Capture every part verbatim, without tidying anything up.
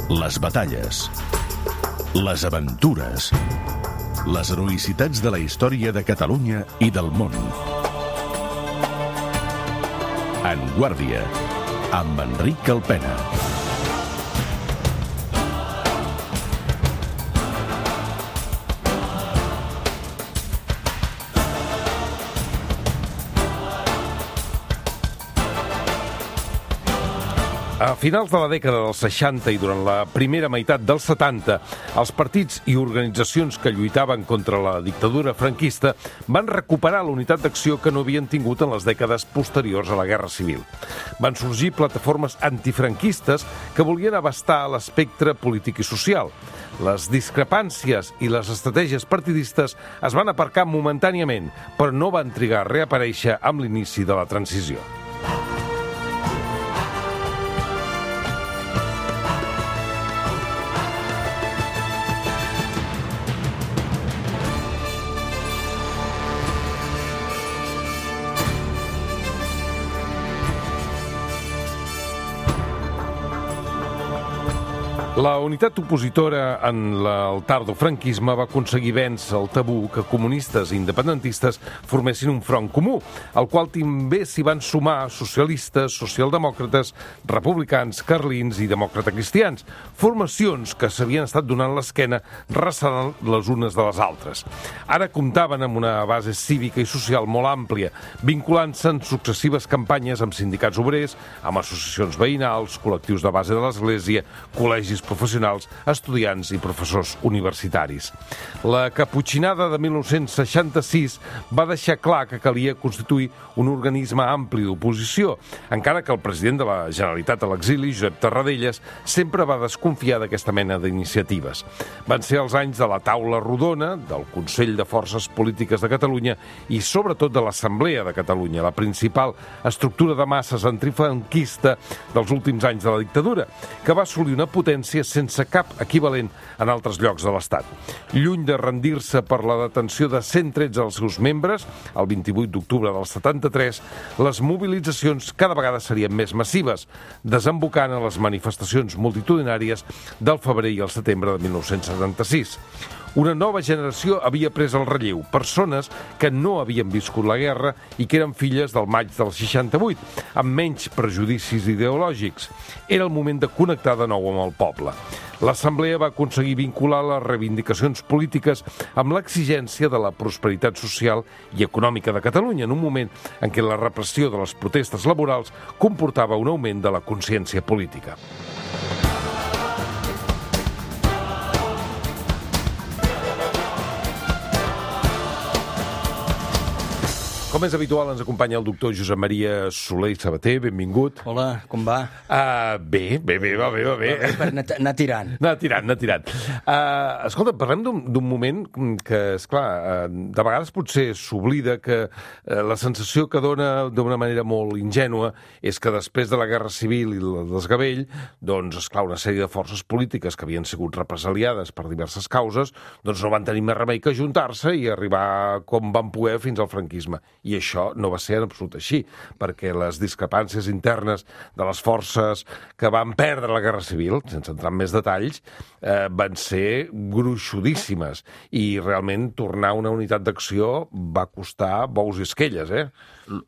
Les batalles, les aventures, les heroïcitats de la història de Catalunya i del món. En Guàrdia, amb Enric Alpena. A finals de la dècada dels seixanta i durant la primera meitat dels setanta, els partits i organitzacions que lluitaven contra la dictadura franquista van recuperar la unitat d'acció que no havien tingut en les dècades posteriors a la Guerra Civil. Van sorgir plataformes antifranquistes que volien abastar l'espectre polític i social. Les discrepàncies i les estratègies partidistes es van aparcar momentàniament, però no van trigar a reaparèixer amb l'inici de la transició. La unitat opositora en el tardofranquisme va aconseguir vèncer el tabú que comunistes i independentistes formessin un front comú, al qual també s'hi van sumar socialistes, socialdemòcrates, republicans, carlins i demòcrata-cristians, formacions que s'havien estat donant l'esquena ressalant les unes de les altres. Ara comptaven amb una base cívica i social molt àmplia, vinculant-se en successives campanyes amb sindicats obrers, amb associacions veïnals, col·lectius de base de l'Església, col·legis professionals, estudiants i professors universitaris. La caputxinada de mil nou-cents seixanta-sis va deixar clar que calia constituir un organisme ampli d'oposició, encara que el president de la Generalitat a l'exili, Josep Tarradellas, sempre va desconfiar d'aquesta mena d'iniciatives. Van ser els anys de la taula rodona, del Consell de Forces Polítiques de Catalunya i sobretot de l'Assemblea de Catalunya, la principal estructura de masses antifranquista dels últims anys de la dictadura, que va assolir una potència sense cap equivalent en altres llocs de l'Estat. Lluny de rendir-se per la detenció de cent tretze dels seus membres, el vint-i-vuit d'octubre del setanta-tres, les mobilitzacions cada vegada serien més massives, desembocant en les manifestacions multitudinàries del febrer i el setembre de mil nou-cents setanta-sis. Una nova generació havia pres el relleu, persones que no havien viscut la guerra i que eren filles del maig del seixanta-vuit, amb menys prejudicis ideològics. Era el moment de connectar de nou amb el poble. L'Assemblea va aconseguir vincular les reivindicacions polítiques amb l'exigència de la prosperitat social i econòmica de Catalunya, en un moment en què la repressió de les protestes laborals comportava un augment de la consciència política. Com és habitual, ens acompanya el doctor Josep Maria Soler i Sabater. Benvingut. Hola, com va? Uh, bé, bé, bé, va bé, va bé. Va bé per anar, anar tirant. Anar tirant, anar tirant. Uh, escolta, parlem d'un moment que, esclar, uh, de vegades potser s'oblida que uh, la sensació que dona d'una manera molt ingènua és que després de la Guerra Civil i el desgavell, doncs, esclar, una sèrie de forces polítiques que havien sigut represaliades per diverses causes, doncs no van tenir més remei que ajuntar-se i arribar com van poder fins al franquisme. I això no va ser en absolut així, perquè les discrepàncies internes de les forces que van perdre la Guerra Civil, sense entrar en més detalls, eh, van ser gruixudíssimes. I realment tornar a una unitat d'acció va costar bous i esquelles, eh?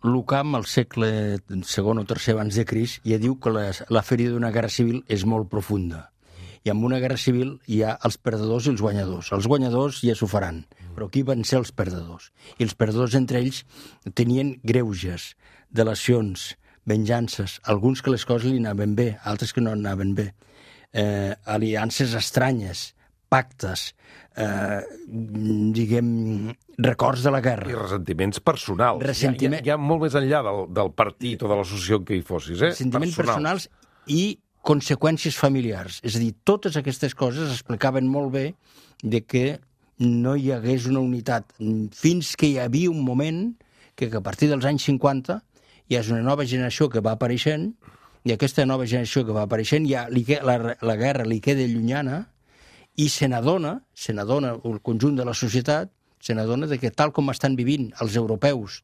L'Ucam, al segle segon o tercer abans de Crist, ja diu que la, la ferida d'una guerra civil és molt profunda. I en una guerra civil hi ha els perdedors i els guanyadors. Els guanyadors ja s'ho faran, però aquí van ser els perdedors. I els perdedors entre ells tenien greuges, delacions, venjances, alguns que les coses li anaven bé, altres que no anaven bé, eh, aliances estranyes, pactes, eh, diguem, records de la guerra. I ressentiments personals. Ressentiment... Ja, ja, ja molt més enllà del, del partit o de l'associació en què hi fossis, eh? Ressentiments personals, personals i conseqüències familiars. És a dir, totes aquestes coses explicaven molt bé de que no hi hagués una unitat, fins que hi havia un moment que, que a partir dels anys cinquanta hi ha una nova generació que va apareixent, i aquesta nova generació que va apareixent ja li, la, la guerra li queda llunyana i se n'adona, se n'adona el conjunt de la societat, se n'adona de que tal com estan vivint els europeus,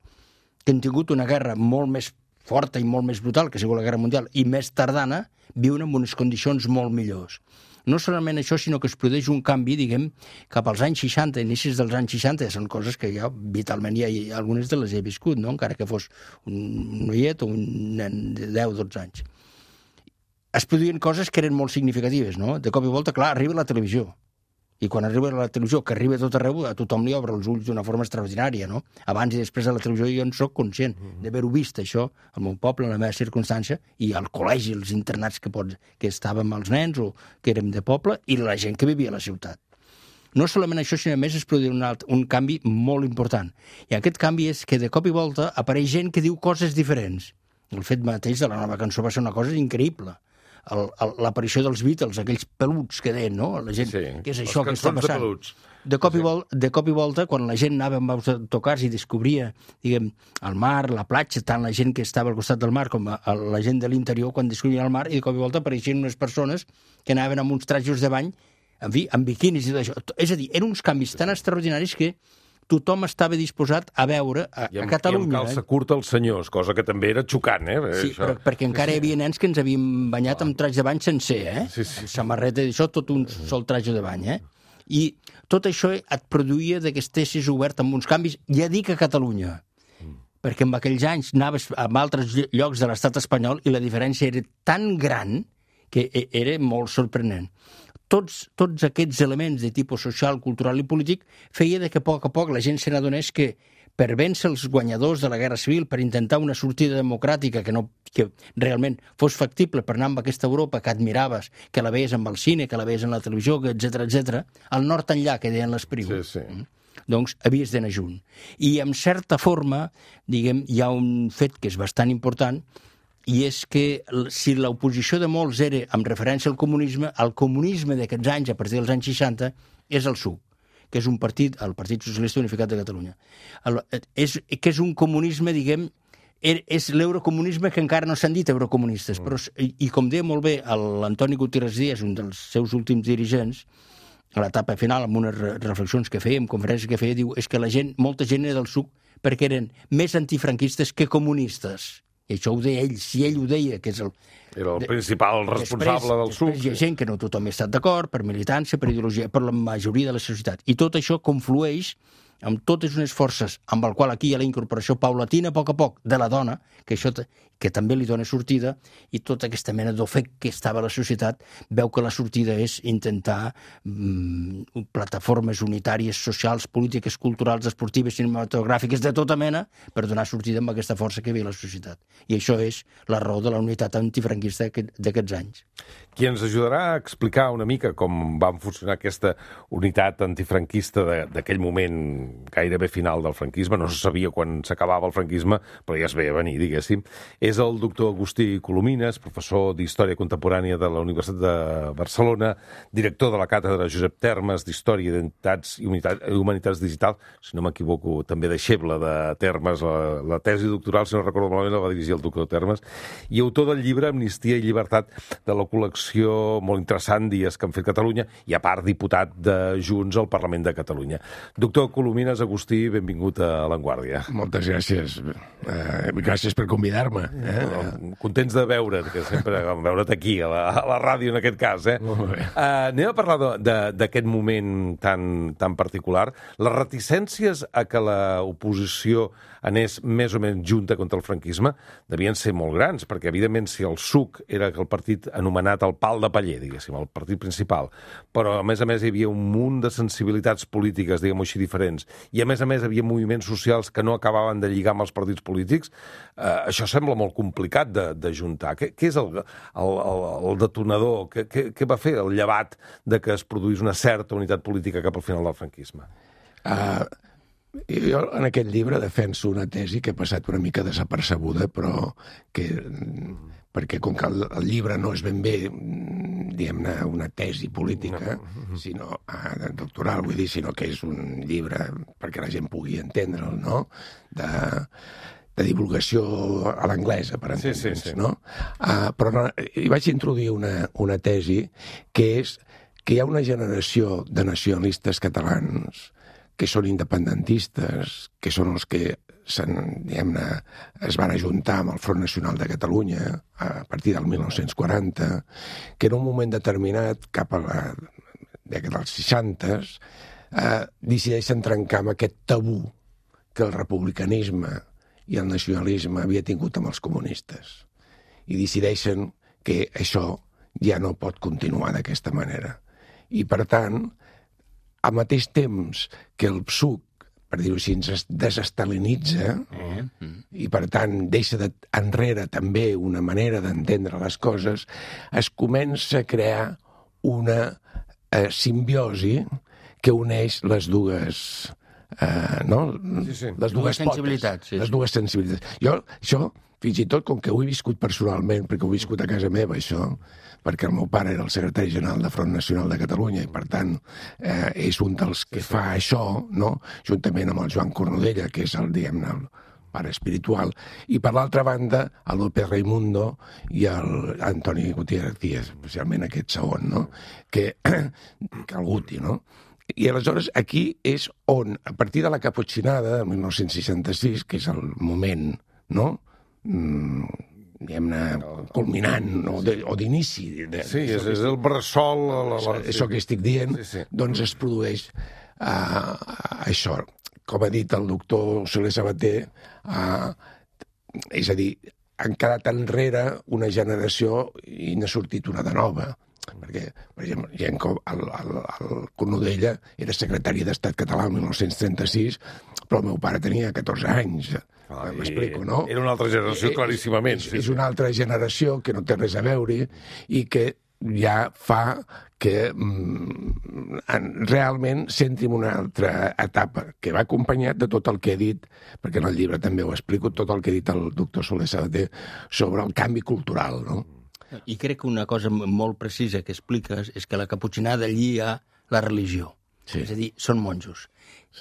que han tingut una guerra molt més forta i molt més brutal, que ha sigut la Guerra Mundial, i més tardana, viuen en unes condicions molt millors. No solament això, sinó que es produeix un canvi, diguem, cap als anys seixanta, inicis dels anys seixanta, són coses que ja vitalment ja, ja algunes de les he viscut, no? Encara que fos un noiet o un nen de deu o dotze anys. Es produïen coses que eren molt significatives, no? De cop i volta, clar, arriba la televisió. I quan arriba la televisió, que arriba a tot arreu, a tothom li obre els ulls d'una forma extraordinària, no? Abans i després de la televisió jo en soc conscient d'haver-ho vist, això, al meu poble, en la meva circumstància, i al col·legi, els internats que, pots, que estàvem els nens o que érem de poble, i la gent que vivia a la ciutat. No solament això, sinó a més es produïa un, alt, un canvi molt important. I aquest canvi és que de cop i volta apareix gent que diu coses diferents. El fet mateix de la nova cançó va ser una cosa increïble. L'aparició dels Beatles, aquells peluts que deien, no? La gent, sí, què és això que està passant? De, de, cop i volta, de cop i volta, quan la gent anava amb autocars i descobria, diguem, el mar, la platja, tant la gent que estava al costat del mar com la gent de l'interior, quan descobria el mar, i de cop i volta apareixien unes persones que anaven amb uns trajos de bany, en fi, amb biquinis i tot això. És a dir, eren uns canvis tan extraordinaris que tothom estava disposat a veure a, I amb, a Catalunya. I amb calça curta els senyors, cosa que també era xocant, eh? Sí, això. però, perquè encara hi havia nens que ens havien banyat amb traje de bany sencer, eh? Sí, sí. Amb samarreta i això, tot un sol traje de bany, eh? I tot això et produïa que estessis obert amb uns canvis, ja dic a Catalunya, mm. perquè en aquells anys anaves a altres llocs de l'estat espanyol i la diferència era tan gran que era molt sorprenent. Tots, tots aquests elements de tipus social, cultural i polític feia de que a poc a poc la gent se n'adonés que per vèncer els guanyadors de la Guerra Civil, per intentar una sortida democràtica que, no, que realment fos factible per anar amb aquesta Europa que admiraves, que la veies amb el cine, que la veies en la televisió, etcètera, etcètera, al nord enllà, que deien les prius. Sí, sí. Doncs havies d'anar junt. I en certa forma, diguem, hi ha un fet que és bastant important, i és que si l'oposició de molts era amb referència al comunisme, el comunisme d'aquests anys, a partir dels anys seixanta, és el S U C, que és un partit, el Partit Socialista Unificat de Catalunya. El, és, que és un comunisme, diguem, és l'eurocomunisme que encara no s'han dit eurocomunistes, però, i, i com deia molt bé l'Antoni Gutiérrez Díaz, un dels seus últims dirigents, a l'etapa final, amb unes reflexions que feia, amb conferències que feia, diu, és que la gent, molta gent era del S U C perquè eren més antifranquistes que comunistes. I això ho deia ell, si ell ho deia, que és el... Era el principal responsable del S U C. Després hi ha gent que no tothom hi ha estat d'acord, per militància, per ideologia, per la majoria de la societat. I tot això conflueix amb totes unes forces, amb el qual aquí hi ha la incorporació paulatina, a poc a poc, de la dona, que això que també li dona sortida, i tota aquesta mena d'ofec que estava a la societat veu que la sortida és intentar mm, plataformes unitàries, socials, polítiques, culturals, esportives, cinematogràfiques, de tota mena, per donar sortida amb aquesta força que hi havia a la societat. I això és la raó de la unitat antifranquista d'aquests anys. Qui ens ajudarà a explicar una mica com va funcionar aquesta unitat antifranquista d'aquell moment gairebé final del franquisme, no se sabia quan s'acabava el franquisme, però ja es veia venir, diguéssim, és el doctor Agustí Colomines, professor d'Història Contemporània de la Universitat de Barcelona, director de la càtedra Josep Termes d'Història, Identitats i Humanitats Digitals, si no m'equivoco, també deixeble de Termes, la, la tesi doctoral, si no recordo malament, la va dirigir el doctor Termes, i autor del llibre Amnistia i Llibertat, de la col·lecció molt interessant Dies que han fet Catalunya, i a part diputat de Junts al Parlament de Catalunya. Doctor Colomines, Agustí, benvingut a La Vanguardia. Moltes gràcies. Eh, gràcies per convidar-me. Eh? Contents de veure't, que sempre veure't aquí, a la, a la ràdio en aquest cas. Eh? Molt bé. Uh, anem a parlar d'aquest moment tan, tan particular. Les reticències a que l'oposició anés més o menys junta contra el franquisme devien ser molt grans, perquè evidentment si el S U C era el partit anomenat el pal de paller, diguéssim, el partit principal, però a més a més hi havia un munt de sensibilitats polítiques, diguem-ho així, diferents, i a més a més hi havia moviments socials que no acabaven de lligar amb els partits polítics, eh, això sembla molt complicat de, de juntar. Què, què és el, el, el, el detonador? Què, què, què va fer el llevat de que es produís una certa unitat política cap al final del franquisme? Uh, jo en aquest llibre defenso una tesi que ha passat una mica desapercebuda, però que, perquè com que el, el llibre no és ben bé, diguem-ne, una tesi política, no. sinó uh, doctoral, vull dir, sinó que és un llibre perquè la gent pugui entendre'l, no?, de... de divulgació a l'anglesa, per entendre'ns, sí, sí, sí. no? Uh, però no, hi vaig introduir una, una tesi que és que hi ha una generació de nacionalistes catalans que són independentistes, que són els que diguem-ne, es van ajuntar amb el Front Nacional de Catalunya a partir del mil nou-cents quaranta, que en un moment determinat, cap a la dècada dels seixanta, eh, decideixen trencar amb aquest tabú que el republicanisme i el nacionalisme havia tingut amb els comunistes. I decideixen que això ja no pot continuar d'aquesta manera. I, per tant, al mateix temps que el P S U C, per dir-ho així, es desestalinitza eh? i, per tant, deixa de, enrere també una manera d'entendre les coses, es comença a crear una eh, simbiosi que uneix les dues... Eh, no? Sí, sí. Dues Les dues sensibilitats, sí, les sí. dues sensibilitats. Jo, això, fins i tot, com que ho he viscut personalment, perquè ho he viscut a casa meva, això, perquè el meu pare era el secretari general de Front Nacional de Catalunya i, per tant, eh, és un dels que fa això, no? Juntament amb el Joan Cornudella, que és el, diguem-ne, el pare espiritual, i, per l'altra banda, el López Raimundo i el Antoni Gutiérrez García, especialment aquest segon, no? Que, que el Guti, no? I aleshores aquí és on, a partir de la caputxinada, del mil nou-cents seixanta-sis, que és el moment, no?, mm, diguem-ne, culminant o de- o d'inici. de- Sí, és, és el bressol... La, la, la, Això que estic dient, Sí, sí. doncs es produeix uh, això. Com ha dit el doctor Soler Sabater, uh, és a dir, han quedat enrere una generació i n'ha sortit una de nova. Perquè, per exemple, gent com el, el, el Cornudella era secretari d'Estat català el mil nou-cents trenta-sis, però el meu pare tenia catorze anys. Ah, M'explico, no? Era una altra generació, Eh, claríssimament. És, Sí, és sí. una altra generació que no té res a veure i que ja fa que mm, en, realment s'entri en una altra etapa, que va acompanyat de tot el que he dit, perquè en el llibre també ho explico, tot el que ha dit el doctor Soler Sabater sobre el canvi cultural, no? I crec que una cosa molt precisa que expliques és que la caputxinada llia la religió. Sí. És a dir, són monjos.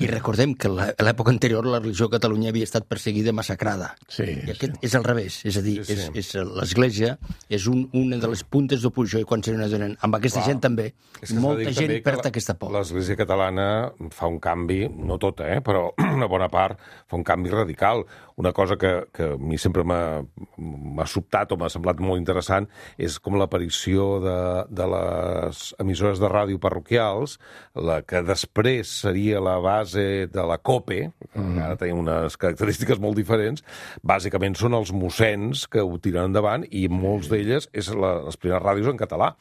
I recordem que a l'època anterior la religió a Catalunya havia estat perseguida i massacrada. Sí, I aquest és al revés. És a dir, Sí, sí. és, és l'Església és un, una de les puntes d'oposició i quan se n'adonen, amb aquesta Clar. gent també, És que s'ha de molta dir gent també que perd la- aquesta por. L'Església catalana fa un canvi, no tota, eh, però una bona part, fa un canvi radical. Una cosa que, que a mi sempre m'ha m'ha sobtat o m'ha semblat molt interessant és com l'aparició de, de les emissores de ràdio parroquials, la que després seria la base de la COPE, mm. ara tenim unes característiques molt diferents, bàsicament són els mossens que ho tiren endavant i molts d'elles és la, les primeres ràdios en català,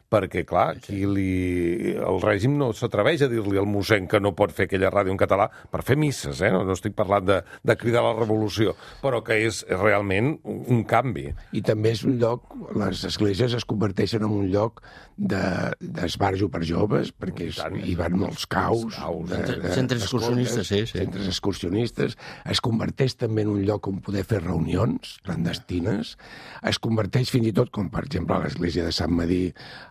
perquè, clar, aquí li, el règim no s'atreveix a dir-li al mossèn que no pot fer aquella ràdio en català per fer misses, eh? no, no estic parlant de, de cridar a la revolució, però que és realment un, un canvi. I també és un lloc, les esglésies es converteixen en un lloc de- d'esbarjo per joves, perquè és, hi van molts caus. caus, de, de, centres excursionistes, sí, sí. Centres excursionistes. Es converteix també en un lloc on poder fer reunions clandestines. Es converteix fins i tot, com per exemple a l'església de Sant Madí,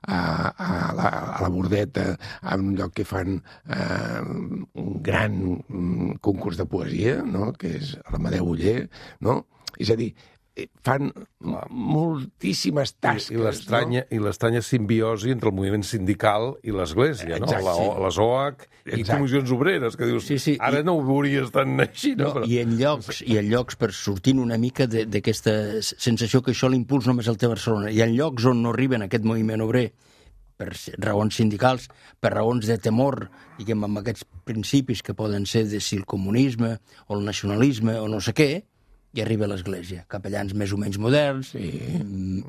a, a, la, a la Bordeta, en un lloc que fan eh, un gran mm, concurs de poesia, no?, que és l'Amadeu Oller, no? És a dir, eh, fan moltíssimes tasques. I l'estranya i l'estranya simbiosi entre el moviment sindical i l'Església, no? Exacte, La, sí. les O H i Exacte. comissions obreres, que dius, Sí, sí, ara i- no ho veuries tan així, no? No, Però... i en llocs, i en llocs per sortint una mica de- d'aquesta sensació que això l'impuls només el té Barcelona. Hi ha llocs on no arriben aquest moviment obrer per raons sindicals, per raons de temor, diguem, amb aquests principis que poden ser de si el comunisme o el nacionalisme o no sé què, i arriba a l'Església. Capellans més o menys moderns, sí.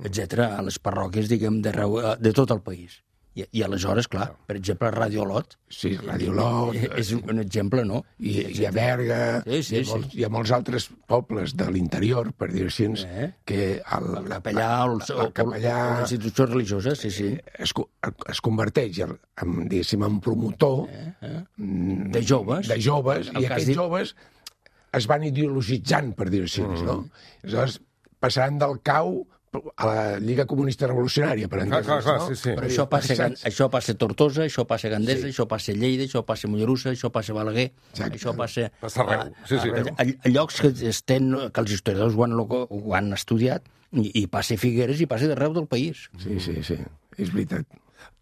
etcètera, a les parròquies, diguem, de, de tot el país. I, I aleshores, clar, per exemple, Ràdio Olot, Sí, Radio Lot, és un exemple, no? i, i a Berga, Sí, sí, hi, ha molts, sí. hi ha molts altres pobles de l'interior, per dir-ho així, Eh? que el, El capellà o, el, o, el capellà o, o la institució religiosa, sí, sí. es, co- es converteix en, en, diguéssim, en promotor mm, De joves. de joves, El i que has aquests dit- joves es van ideologitzant, per dir-ho així, no? Aleshores, passaran del cau a la Lliga Comunista Revolucionària, per Clar, entendre'ns, clar, clar, no? sí, sí. Però això passa, a Gan- Saps? això passa a Tortosa, això passa a Gandesa, Sí. això passa a Lleida, això passa a Mollerussa, això passa a Balaguer, Exacte. això passa, Passa arreu, sí, sí. a, a, a llocs que, estem, que els historiadors ho han, ho han estudiat, i, i passa a Figueres i passa d'arreu del país. Sí, sí, sí, és veritat.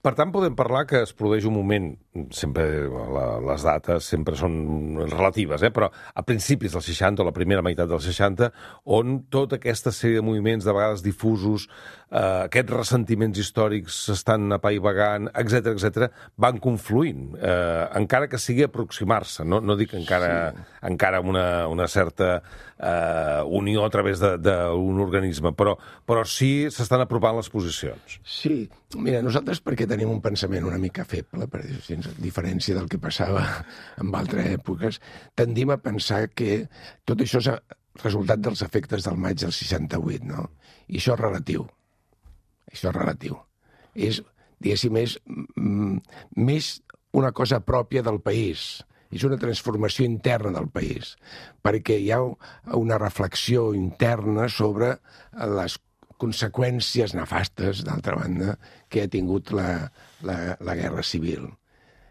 Per tant, podem parlar que es produeix un moment, sempre la, les dates sempre són relatives, eh? Però a principis dels seixanta, o la primera meitat dels seixanta, on tota aquesta sèrie de moviments, de vegades difusos, eh, aquests ressentiments històrics s'estan apaivagant, etcètera, etcètera, van confluint, eh, encara que sigui aproximar-se, no, no dic encara, sí. encara una, una certa eh, unió a través d'un organisme, però, però sí s'estan apropant les posicions. Sí, mira, nosaltres perquè tenim un pensament una mica feble, per dir, a diferència del que passava en altres èpoques, tendim a pensar que tot això és resultat dels efectes del maig del seixanta-vuit, no? I això és relatiu. Això és relatiu. És, diguéssim, és mm, més una cosa pròpia del país. És una transformació interna del país, perquè hi ha una reflexió interna sobre les conseqüències nefastes, d'altra banda, que ha tingut la, la, la guerra civil.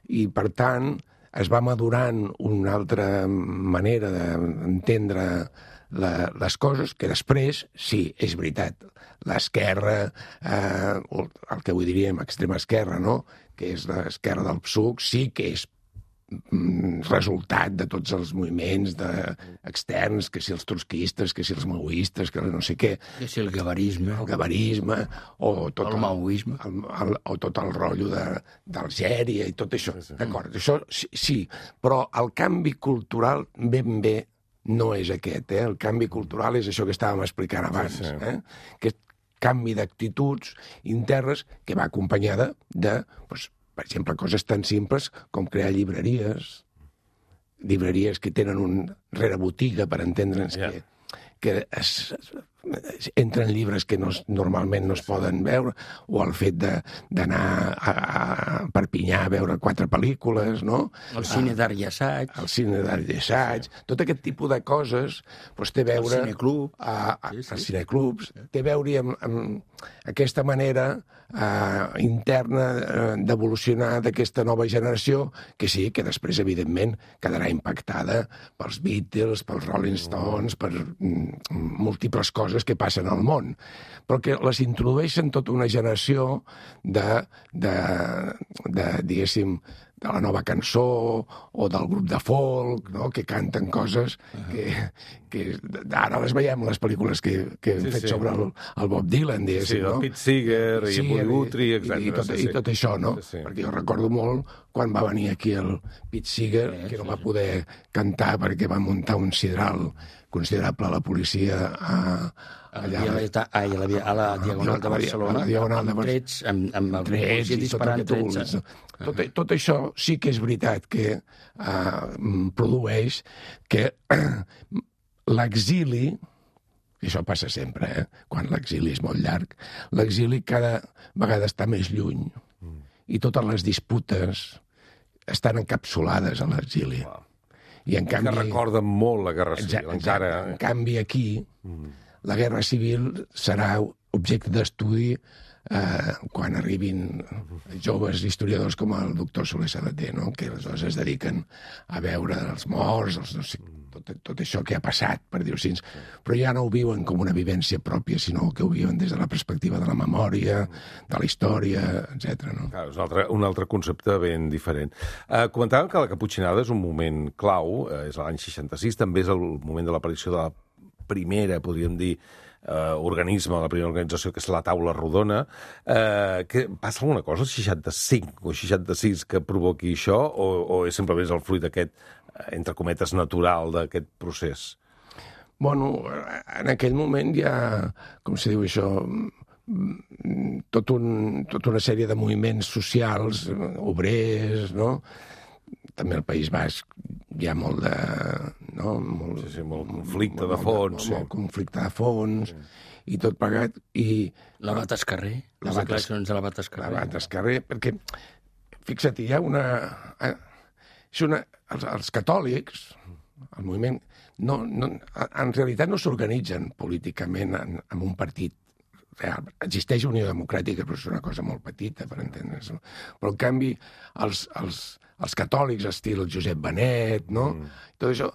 I, per tant, es va madurant una altra manera d'entendre la, les coses, que després, sí, és veritat, l'esquerra, eh, el que avui diríem extrema esquerra, no?, que és l'esquerra del P S U C, sí que és resultat de tots els moviments de, externs, que si els trotskistes, que si els maoistes, que no sé què. Que si el gabarisme. El gabarisme, o tot el, el maoisme. El, el, o tot el rotllo d'Algèria i tot això. Sí, sí. D'acord, això sí, sí, però el canvi cultural ben bé no és aquest. Eh? El canvi cultural és això que estàvem explicant abans. Sí, sí. Eh? Aquest canvi d'actituds internes que va acompanyada de... Doncs, per exemple, coses tan simples com crear llibreries, llibreries que tenen un rerebotiga, per entendre'ns, yeah. que, que es, es, entren llibres que no, normalment no es poden veure, o el fet d'anar a, a Perpinyà a veure quatre pel·lícules, no? El cine d'art i assaig. El cine d'art i assaig. Tot aquest tipus de coses doncs, té a veure... El cineclub. A, a, sí, sí. Els cineclubs. Té a veure amb, amb aquesta manera eh, interna eh, d'evolucionar d'aquesta nova generació, que sí, que després, evidentment, quedarà impactada pels Beatles, pels Rolling Stones, per mm, múltiples coses que passen al món, però que les introdueixen tota una generació de, de, de diguéssim, de la nova cançó o del grup de folk, no?, que canten coses que, que ara les veiem, les pel·lícules que, que hem sí, fet sí. sobre el, el Bob Dylan, diguéssim, sí, no? Sí, el Pete Seeger i el Woody Guthrie, etcètera. I, i, tot, sí, sí. I tot això, no? Sí, sí. Perquè jo recordo molt quan va venir aquí el Pete Seeger, sí, que no va poder cantar perquè va muntar un sidral considerable a la policia a, allà, a, la, a, la, a la Diagonal de Barcelona, a la Diagonal de amb trets, amb, amb el trets, policia disparant trets. Tot, tot això sí que és veritat que uh, produeix que l'exili, i això passa sempre, eh? Quan l'exili és molt llarg, l'exili cada vegada està més lluny mm. i totes les disputes estan encapsulades a l'exili. Wow. I en canvi... Que recorden molt la Guerra Civil, exacte, encara... En canvi, aquí, mm. la Guerra Civil serà objecte d'estudi eh, quan arribin joves historiadors com el doctor Soler Sabater, no?, que aleshores es dediquen a veure els morts, els, no sé, tot, tot això que ha passat, per dir-ho així, però ja no ho viuen com una vivència pròpia, sinó que ho viuen des de la perspectiva de la memòria, de la història, etcètera. No? Clar, és un altre, un altre concepte ben diferent. Uh, comentàvem que la Caputxinada és un moment clau, uh, és l'any seixanta-sis, també és el moment de l'aparició de la primera, podríem dir, Uh, organisme, la primera organització, que és la Taula Rodona. Uh, que passa alguna cosa al seixanta-cinc o seixanta-sis que provoqui això, o, o és simplement el fruit aquest, entre cometes, natural d'aquest procés? Bueno, en aquell moment hi ha, com se diu això, tot un, tota una sèrie de moviments socials, obrers, no?, també al País Basc hi ha molt de... No? Molt, sí, sí, molt conflicte molt, de fons. Molt, sí. molt conflicte de fons, sí. I tot plegat. I, L'abat Escarrer, les declaracions de l'abat Escarrer. L'abat Escarrer, perquè, fixa't, hi ha una... És una els, els catòlics, el moviment, no, no, en realitat no s'organitzen políticament en, en un partit real. Existeix Unió Democràtica, però és una cosa molt petita, per entendre's. Però, en canvi, els, els, els catòlics, estil Josep Benet, no? Mm. Tot això,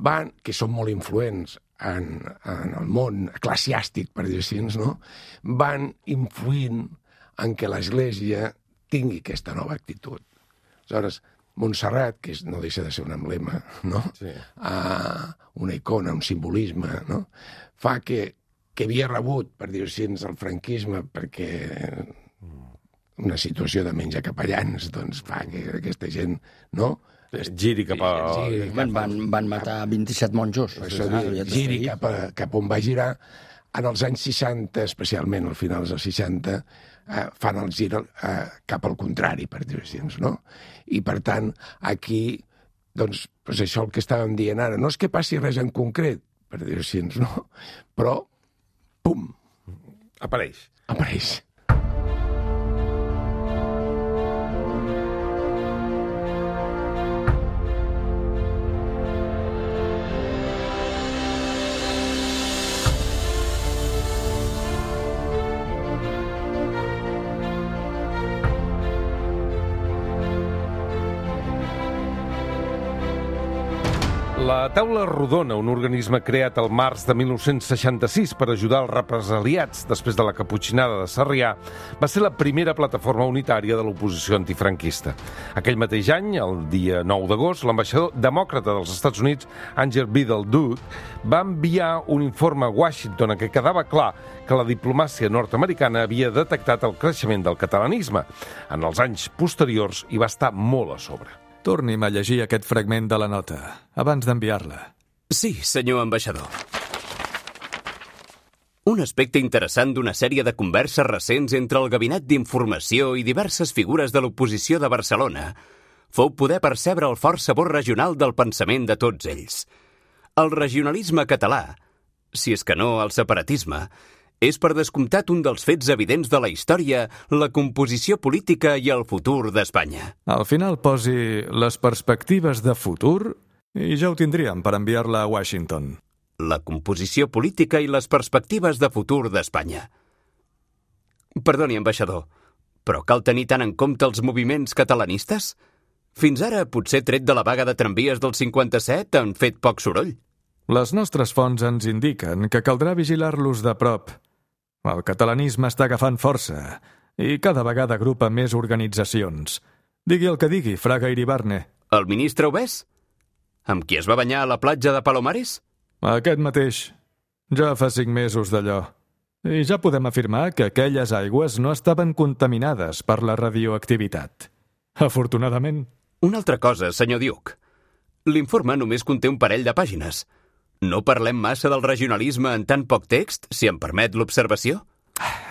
van, que són molt influents en, en el món eclesiàstic, per dir-ho així, no? Van influint en què l'Església tingui aquesta nova actitud. Aleshores, Montserrat, que és, no deixa de ser un emblema, no? Sí. Uh, una icona, un simbolisme, no? Fa que, que havia rebut, per dir-ho així, el franquisme, perquè una situació de menja capellans doncs, fa que aquesta gent, no? Giri cap a... Giri Van, van, van matar vint-i-set monjos. Això Ah, dir, ja giri t'estic. cap, a, cap on va girar. En els anys seixanta, especialment al final dels seixanta, eh, fan el gir eh, cap al contrari, per dir-ho així, no? I, per tant, aquí, doncs, doncs això el que estàvem dient ara, no és que passi res en concret, per dir-ho així, no? Però, pum, Apareix. apareix. La Taula Rodona, un organisme creat al març de mil nou-cents seixanta-sis per ajudar els represaliats després de la caputxinada de Sarrià, va ser la primera plataforma unitària de l'oposició antifranquista. Aquell mateix any, el dia nou d'agost, l'ambaixador demòcrata dels Estats Units, Angel Biddle Duke, va enviar un informe a Washington en què quedava clar que la diplomàcia nord-americana havia detectat el creixement del catalanisme. En els anys posteriors hi va estar molt a sobre. Torni'm a llegir aquest fragment de la nota, abans d'enviar-la. Sí, senyor ambaixador. Un aspecte interessant d'una sèrie de converses recents entre el Gabinet d'Informació i diverses figures de l'oposició de Barcelona fou poder percebre el fort sabor regional del pensament de tots ells. El regionalisme català, si és que no el separatisme, és per descomptat un dels fets evidents de la història, la composició política i el futur d'Espanya. Al final posi les perspectives de futur i ja ho tindríem per enviar-la a Washington. La composició política i les perspectives de futur d'Espanya. Perdoni, ambaixador, però cal tenir tant en compte els moviments catalanistes? Fins ara, potser tret de la vaga de tramvies del cinquanta-set, han fet poc soroll. Les nostres fonts ens indiquen que caldrà vigilar-los de prop. El catalanisme està agafant força i cada vegada agrupa més organitzacions. Digui el que digui, Fraga Iribarne. El ministre Obès? Amb qui es va banyar a la platja de Palomares? Aquest mateix. Ja fa cinc mesos d'allò. I ja podem afirmar que aquelles aigües no estaven contaminades per la radioactivitat. Afortunadament. Una altra cosa, senyor Duke. L'informe només conté un parell de pàgines. No parlem massa del regionalisme en tan poc text, si em permet l'observació?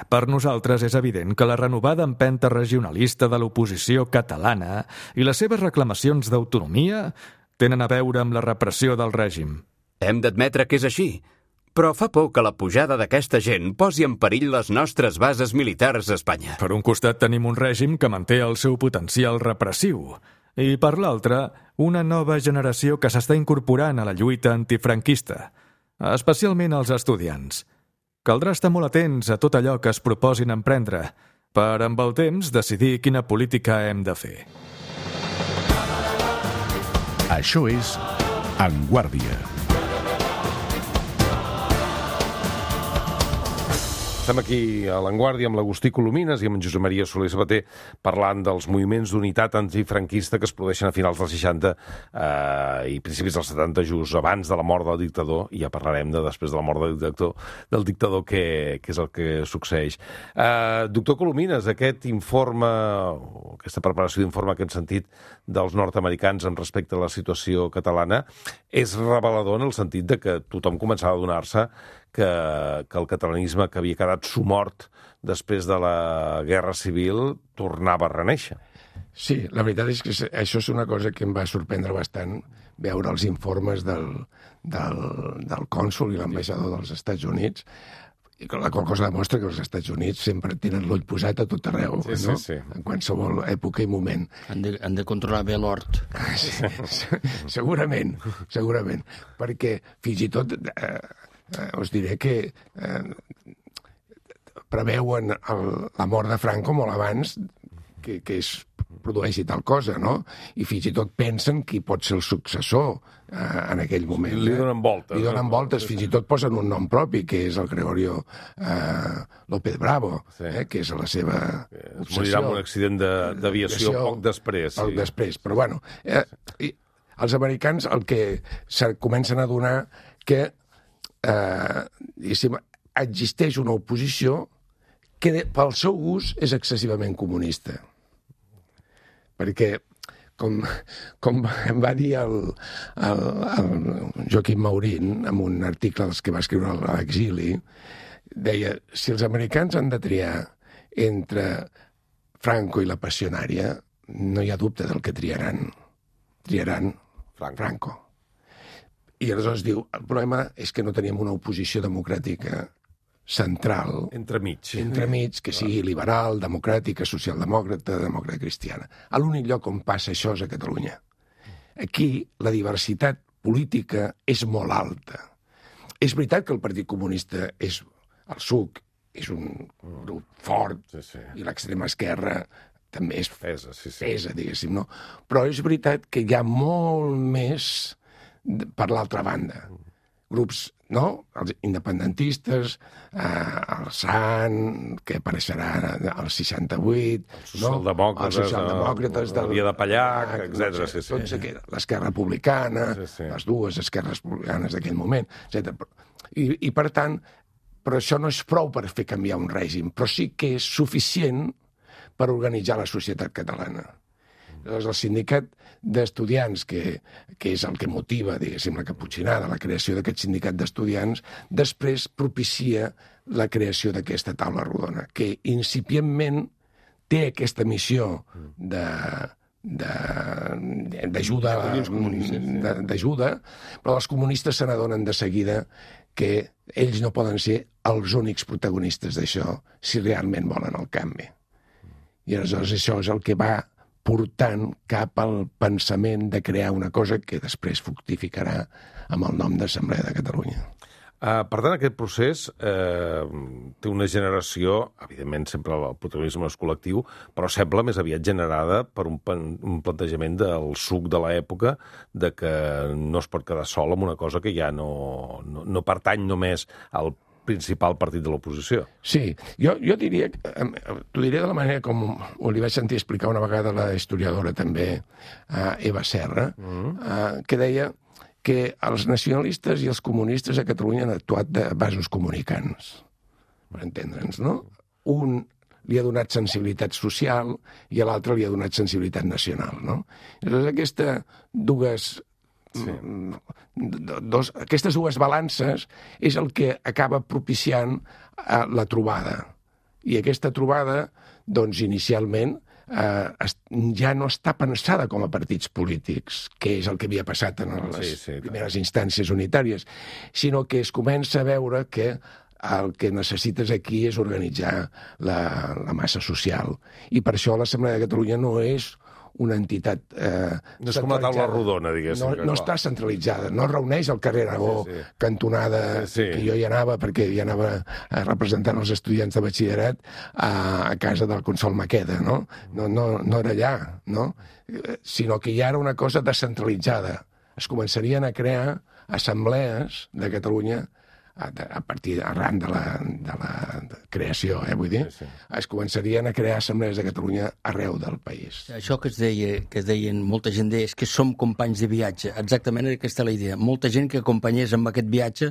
Per nosaltres és evident que la renovada empenta regionalista de l'oposició catalana i les seves reclamacions d'autonomia tenen a veure amb la repressió del règim. Hem d'admetre que és així, però fa por que la pujada d'aquesta gent posi en perill les nostres bases militars a Espanya. Per un costat tenim un règim que manté el seu potencial repressiu i, per l'altre, una nova generació que s'està incorporant a la lluita antifranquista, especialment els estudiants. Caldrà estar molt atents a tot allò que es proposin emprendre, per, amb el temps, decidir quina política hem de fer. Això és En Guàrdia. Estem aquí a l'Enguàrdia amb l'Agustí Colomines i amb en Josep Maria Soler Sabater parlant dels moviments d'unitat antifranquista que es produeixen a finals dels seixanta eh, i principis dels setanta, just abans de la mort del dictador, i ja parlarem de després de la mort del dictador, del dictador què, què és el que succeeix. Eh, doctor Colomines, aquest informe, aquesta preparació d'informe que hem sentit dels nord-americans en respecte a la situació catalana és revelador en el sentit de que tothom començava a adonar-se que, que el catalanisme que havia quedat sumort després de la Guerra Civil tornava a reneixer. Sí, la veritat és que això és una cosa que em va sorprendre bastant, veure els informes del, del, del cònsol i l'ambaixador dels Estats Units, i la qual cosa demostra que els Estats Units sempre tenen l'ull posat a tot arreu, sí, no? Sí, sí. En qualsevol època i moment. Han de, han de controlar bé l'hort. Sí, segurament, segurament. Perquè fins i tot eh, eh, us diré que eh, preveuen el, la mort de Franco molt abans, que, que és produeixi tal cosa, no? I fins i tot pensen qui pot ser el successor eh, en aquell moment. Li donen voltes. Li donen no? voltes, fins i tot posen un nom propi, que és el Gregorio eh, López Bravo, sí. eh, que és la seva obsessió. Es morirà amb un accident d'aviació poc després. Poc sí. després, però bueno... Eh, i els americans el que se comencen a donar que eh, existeix una oposició que de, pel seu gust és excessivament comunista. Perquè, com, com em va dir el, el, el Joaquim Maurín en un article dels que va escriure a l'exili, deia, si els americans han de triar entre Franco i la passionària, no hi ha dubte del que triaran. Triaran Franco. Franco. I aleshores diu, el problema és que no teníem una oposició democràtica central, entremig, entremig que sigui liberal, democràtica, socialdemòcrata, demòcrata cristiana. A l'únic lloc on passa això és a Catalunya. Aquí la diversitat política és molt alta. És veritat que el Partit Comunista és el S U C, és un grup fort, sí, sí. I l'extrema esquerra també és pesa, sí, sí. pesa, diguéssim, no? Però és veritat que hi ha molt més per l'altra banda. Grups, no? Els independentistes, eh, el S A N, que apareixerà al seixanta-vuit, els socialdemòcrates, no? Els socialdemòcrates el, el Via de Pallac, etcètera. Sí, sí. Tots aquells, l'esquerra republicana, sí, sí. Les dues esquerres republicanes d'aquell moment, etcètera. I, I, per tant, però això no és prou per fer canviar un règim, però sí que és suficient per organitzar la societat catalana. Llavors, el sindicat d'estudiants, que, que és el que motiva, diguéssim, la caputxinada, la creació d'aquest sindicat d'estudiants, després propicia la creació d'aquesta taula rodona, que incipientment té aquesta missió de d'ajuda, d'ajuda, però els comunistes se n'adonen de seguida que ells no poden ser els únics protagonistes d'això si realment volen el canvi. I aleshores això és el que va portant cap al pensament de crear una cosa que després fructificarà amb el nom d'Assemblea de Catalunya. Uh, per tant, aquest procés eh, té una generació, evidentment sempre el protagonisme és col·lectiu, però sembla més aviat generada per un, un plantejament del suc de l'època de que no es pot quedar sol amb una cosa que ja no, no, no pertany només al principal partit de l'oposició. Sí, jo, jo diria, t'ho diré de la manera com ho li vaig sentir explicar una vegada la historiadora també, uh, Eva Serra, mm. uh, que deia que els nacionalistes i els comunistes a Catalunya han actuat de vasos comunicants, per entendre'ns, no? Un li ha donat sensibilitat social i a l'altre li ha donat sensibilitat nacional, no? Llavors, aquesta dues... Sí. Dos, aquestes dues balances és el que acaba propiciant eh, la trobada. I aquesta trobada, doncs, inicialment, eh, es, ja no està pensada com a partits polítics, que és el que havia passat en les sí, sí, primeres instàncies unitàries, sinó que es comença a veure que el que necessites aquí és organitzar la, la massa social. I per això l'Assemblea de Catalunya no és una entitat eh, no és com la taula rodona, diguéssim. No, no està centralitzada, no es reuneix al carrer Aragó, sí, sí. Cantonada, sí, sí. Que jo hi anava, perquè hi anava representant els estudiants de batxillerat a, a casa del Consol Maqueda, no? No, no, no era allà, no? Sinó que ja era una cosa descentralitzada. Es començarien a crear assemblees de Catalunya a, a partir, arran de la, de la creació, eh, vull dir, sí, sí. Es començarien a crear assemblees de Catalunya arreu del país. Això que es deia, que es deien, molta gent deia, és que som companys de viatge. Exactament aquesta la idea. Molta gent que acompanyés amb aquest viatge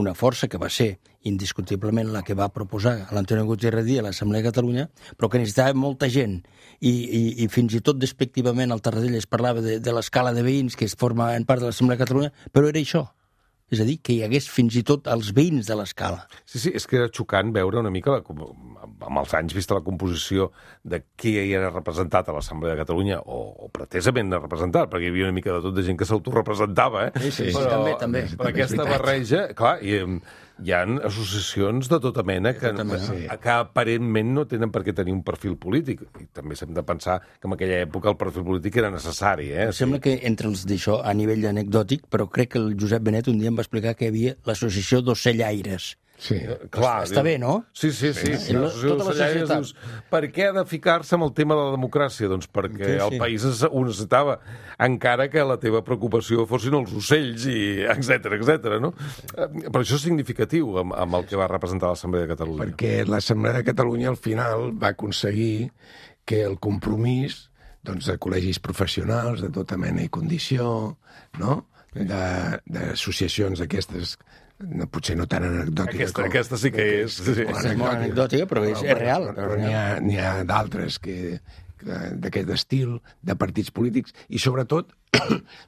una força que va ser indiscutiblement la que va proposar l'Antonio Gutiérrez Díaz a l'Assemblea de Catalunya, però que necessitava molta gent. I, i, i fins i tot despectivament al Tarradell es parlava de, de l'escala de veïns que es formaven part de l'Assemblea de Catalunya, però era això. És a dir, que hi hagués fins i tot els veïns de l'escala. Sí, sí, és que era xocant veure una mica, amb els anys, vista la composició de qui hi era representat a l'Assemblea de Catalunya, o, o pretesament representat, perquè hi havia una mica de tot de gent que s'autorepresentava, eh? Sí, sí, però, sí, també, també. Però aquesta barreja, clar, i, hi ha associacions de tota mena que, tota mena. Que, que aparentment no tenen per què tenir un perfil polític. I també s'hem de pensar que en aquella època el perfil polític era necessari. Eh? Sembla que entre els d'això, a nivell anecdòtic, però crec que el Josep Benet un dia em va explicar que hi havia l'associació d'ocellaires. Sí. Clar, Està bé, no? Sí, sí, sí. sí. La- sí. tota la societat. Dius, per què ha de ficar-se amb el tema de la democràcia? Doncs perquè Sí, sí. el país es- ho necessitava, encara que la teva preocupació fossin els ocells, i etcètera, etcètera, no? Eh, Però això és significatiu amb, amb el que va representar l'Assemblea de Catalunya. Perquè l'Assemblea de Catalunya al final va aconseguir que el compromís doncs, de col·legis professionals de tota mena i condició, no? De- d'associacions d'aquestes, no, potser no tan anecdòtiques Aquesta, com... aquesta sí que és. Sí. És molt anecdòtica, però és, és real. Però n'hi ha, n'hi ha d'altres que, que d'aquest estil, de partits polítics, i sobretot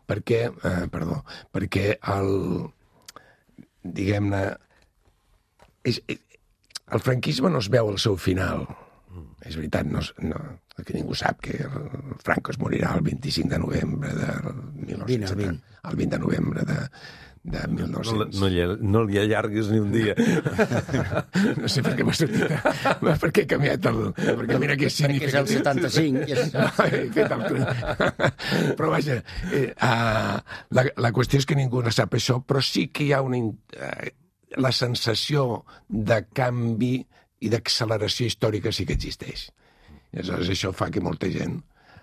perquè, eh, perdó, perquè el, diguem-ne, és, el franquisme no es veu al seu final. És veritat, no, es- no, que ningú sap que el Franco es morirà el vint-i-cinc de novembre de mil nou-cents setanta, el vint de novembre de, de mil No, nou-cents. no, li, no li allarguis ni un dia. No sé per què m'ha sortit, per què he canviat el... Perquè mira que és Perquè és el setanta-cinc. i és- He fet el... Però vaja, eh, uh, la, la qüestió és que ningú no sap això, però sí que hi ha una, in- eh, la sensació de canvi i d'acceleració històrica sí que existeix. I aleshores això fa que molta gent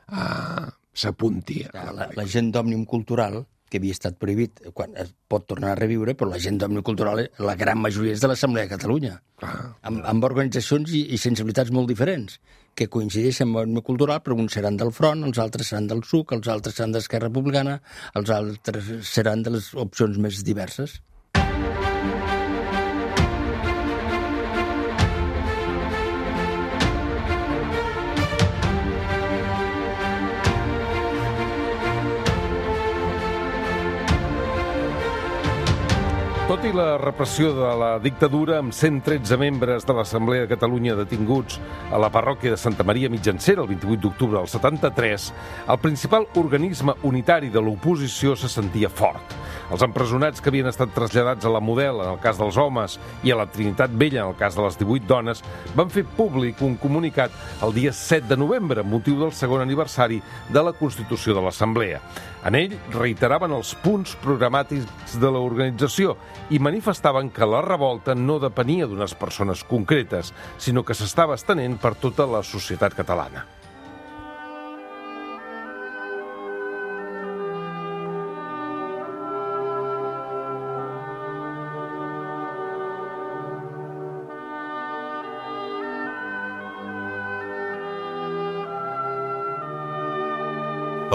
uh, s'apunti. a La, la gent d'Òmnium Cultural, que havia estat prohibit, quan es pot tornar a reviure, però la gent d'Òmnium Cultural, la gran majoria és de l'Assemblea de Catalunya, Clar. amb, amb organitzacions i, i sensibilitats molt diferents, que coincideixen amb Òmnium Cultural, però uns seran del Front, els altres seran del S U C, els altres seran d'Esquerra Republicana, els altres seran de les opcions més diverses. Tot i la repressió de la dictadura, amb cent tretze membres de l'Assemblea de Catalunya detinguts a la parròquia de Santa Maria Mitjancera el vint-i-vuit d'octubre del setanta-tres, el principal organisme unitari de l'oposició se sentia fort. Els empresonats que havien estat traslladats a la Model, en el cas dels homes, i a la Trinitat Vella, en el cas de les divuit dones, van fer públic un comunicat el dia set de novembre, amb motiu del segon aniversari de la Constitució de l'Assemblea. En ell reiteraven els punts programàtics de l'organització i manifestaven que la revolta no depenia d'unes persones concretes, sinó que s'estava estenent per tota la societat catalana.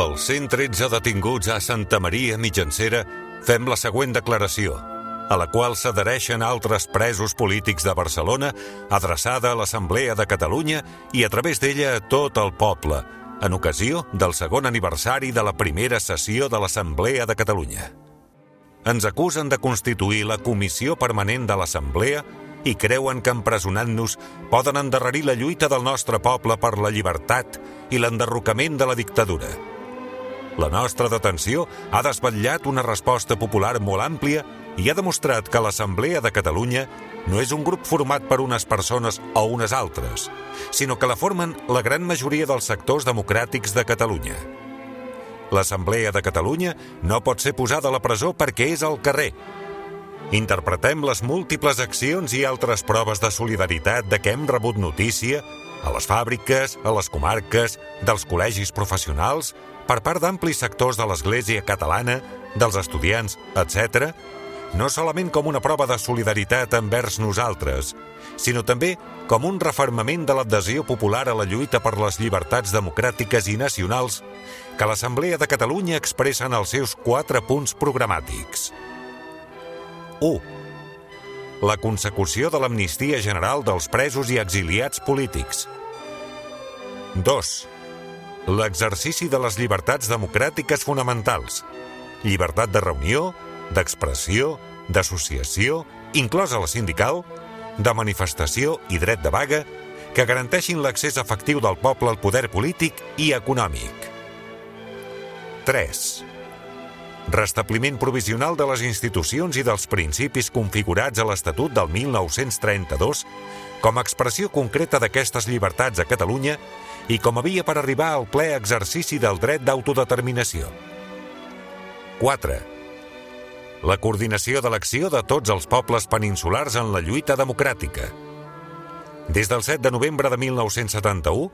Els cent tretze detinguts a Santa Maria Mitjancera fem la següent declaració, a la qual s'adhereixen altres presos polítics de Barcelona, adreçada a l'Assemblea de Catalunya i a través d'ella a tot el poble, en ocasió del segon aniversari de la primera sessió de l'Assemblea de Catalunya. Ens acusen de constituir la Comissió Permanent de l'Assemblea i creuen que empresonant-nos poden endarrerir la lluita del nostre poble per la llibertat i l'enderrocament de la dictadura. La nostra detenció ha desvetllat una resposta popular molt àmplia i ha demostrat que l'Assemblea de Catalunya no és un grup format per unes persones o unes altres, sinó que la formen la gran majoria dels sectors democràtics de Catalunya. L'Assemblea de Catalunya no pot ser posada a la presó perquè és al carrer. Interpretem les múltiples accions i altres proves de solidaritat de què hem rebut notícia a les fàbriques, a les comarques, dels col·legis professionals, per part d'amplis sectors de l'Església catalana, dels estudiants, etcètera, no solament com una prova de solidaritat envers nosaltres, sinó també com un refermament de l'adhesió popular a la lluita per les llibertats democràtiques i nacionals que l'Assemblea de Catalunya expressa en els seus quatre punts programàtics. u. La consecució de l'amnistia general dels presos i exiliats polítics. dos. L'exercici de les llibertats democràtiques fonamentals. Llibertat de reunió, d'expressió, d'associació, inclosa la sindical, de manifestació i dret de vaga, que garanteixin l'accés efectiu del poble al poder polític i econòmic. tres. Restabliment provisional de les institucions i dels principis configurats a l'Estatut del mil nou-cents trenta-dos com a expressió concreta d'aquestes llibertats a Catalunya i com a via per arribar al ple exercici del dret d'autodeterminació. quatre. la coordinació de l'acció de tots els pobles peninsulars en la lluita democràtica. Des del set de novembre de mil nou-cents setanta-u,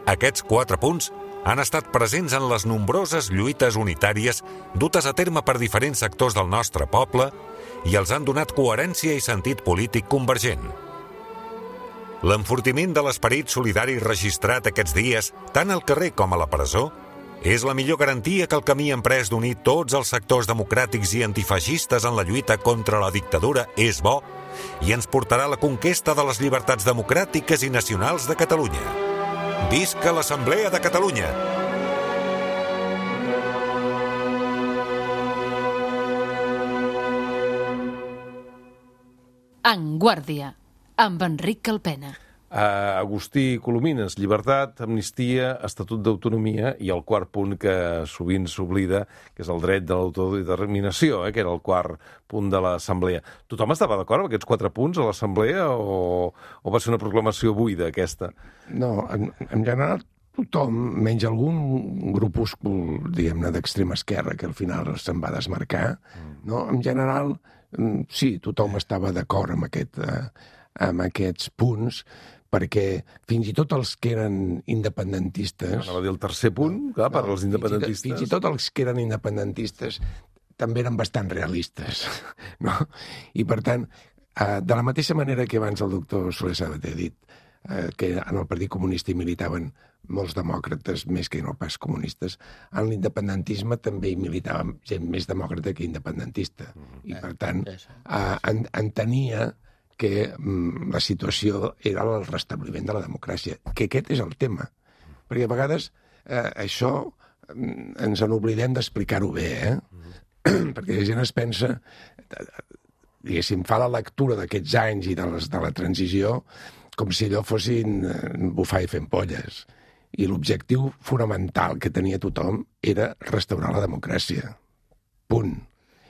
aquests quatre punts han estat presents en les nombroses lluites unitàries dutes a terme per diferents sectors del nostre poble i els han donat coherència i sentit polític convergent. L'enfortiment de l'esperit solidari registrat aquests dies, tant al carrer com a la presó, és la millor garantia que el camí emprès d'unir tots els sectors democràtics i antifeixistes en la lluita contra la dictadura és bo i ens portarà a la conquesta de les llibertats democràtiques i nacionals de Catalunya. Visca l'Assemblea de Catalunya! En Guàrdia, amb Enric Calpena. Uh, Agustí Colomines, llibertat, amnistia, estatut d'autonomia i el quart punt que sovint s'oblida, que és el dret de l'autodeterminació, eh, que era el quart punt de l'Assemblea. Tothom estava d'acord amb aquests quatre punts a l'Assemblea o, o va ser una proclamació buida, aquesta? No, en, en general tothom, menys algun grupúscul, diguem-ne, d'extrema esquerra, que al final se'n va desmarcar, mm. no? En general, sí, tothom estava d'acord amb, aquest, eh, amb aquests punts, perquè fins i tot els que eren independentistes... Anava a dir el tercer punt, no, clar, per als independentistes... Fins i, tot, fins i tot els que eren independentistes també eren bastant realistes, no? I, per tant, eh, de la mateixa manera que abans el doctor Soler Sabater ha dit eh, que en el Partit Comunista hi militaven molts demòcrates, més que no pas comunistes, en l'independentisme també hi militava gent més demòcrata que independentista. I, per tant, eh, en, entenia que mm, la situació era el restabliment de la democràcia, que aquest és el tema. Perquè a vegades eh, això mm, ens en oblidem d'explicar-ho bé, eh? Mm. Perquè la gent es pensa, diguéssim, fa la lectura d'aquests anys i de, les, de la transició com si allò fossin eh, bufar i fent polles. I l'objectiu fonamental que tenia tothom era restaurar la democràcia. Punt.